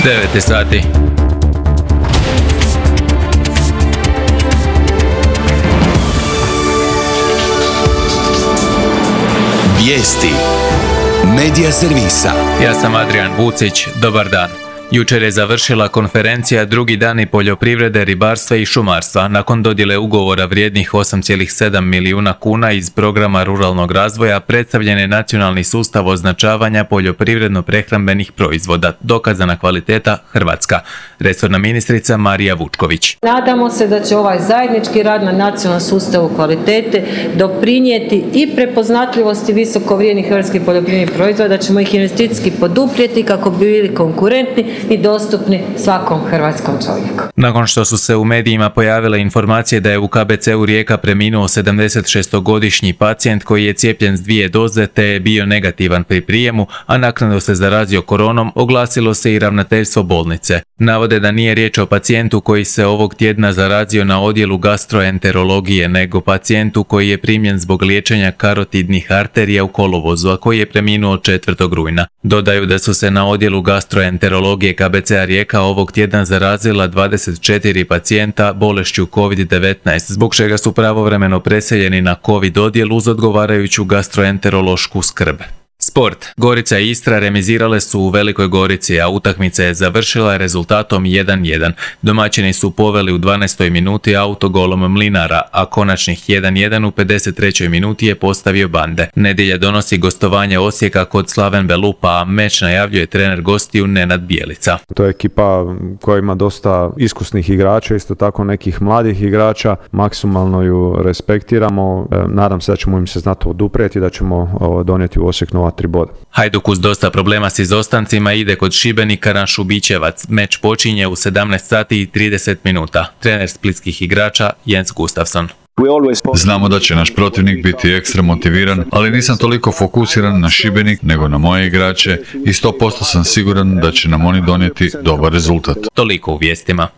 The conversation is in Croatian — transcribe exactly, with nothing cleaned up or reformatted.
devet sati. Vijesti Medija servisa. Ja sam Adrian Vucić, dobar dan. Jučer je završila konferencija Drugi dani poljoprivrede, ribarstva i šumarstva nakon dodjele ugovora vrijednih osam zarez sedam milijuna kuna iz programa ruralnog razvoja. Predstavljen je nacionalni sustav označavanja poljoprivredno-prehrambenih proizvoda, dokazana kvaliteta Hrvatska. Resorna ministrica Marija Vučković. Nadamo se da će ovaj zajednički rad na nacionalnom sustavu kvalitete doprinijeti i prepoznatljivosti visoko vrijednih hrvatskih poljoprivrednih proizvoda, da ćemo ih investicijski poduprijeti kako bi bili konkurentni i dostupni svakom hrvatskom čovjeku. Nakon što su se u medijima pojavile informacije da je u K B C-u Rijeka preminuo sedamdesetšestogodišnji pacijent koji je cijepljen s dvije doze te je bio negativan pri prijemu, a naknadno se zarazio koronom, oglasilo se i ravnateljstvo bolnice. Navode da nije riječ o pacijentu koji se ovog tjedna zarazio na odjelu gastroenterologije, nego pacijentu koji je primljen zbog liječenja karotidnih arterija u kolovozu, a koji je preminuo četvrtog rujna. Dodaju da su se na odjelu gastroenterologije K B C-a Rijeka ovog tjedna zarazila dvadeset četiri pacijenta bolešću kovid devetnaest, zbog čega su pravovremeno preseljeni na COVID odjel uz odgovarajuću gastroenterološku skrb. Sport. Gorica i Istra remizirale su u Velikoj Gorici, a utakmica je završila rezultatom jedan jedan. Domaćini su poveli u dvanaestoj minuti autogolom Mlinara, a konačnih jedan jedan u pedeset trećoj minuti je postavio Bande. Nedjelja donosi gostovanje Osijeka kod Slaven Belupa, a meč najavljuje trener gostiju Nenad Bjelica. To je ekipa koja ima dosta iskusnih igrača, isto tako nekih mladih igrača. Maksimalno ju respektiramo. Nadam se da ćemo im se znati oduprijeti, da ćemo donijeti u Osijek nova tri boda. Hajduk uz dosta problema s izostancima ide kod Šibenika na Šubićevac. Meč počinje u sedamnaest sati i trideset minuta. Trener splitskih igrača Jens Gustafsson. Znamo da će naš protivnik biti ekstra motiviran, ali nisam toliko fokusiran na Šibenik nego na moje igrače i sto posto sam siguran da će nam oni donijeti dobar rezultat. Toliko u vijestima.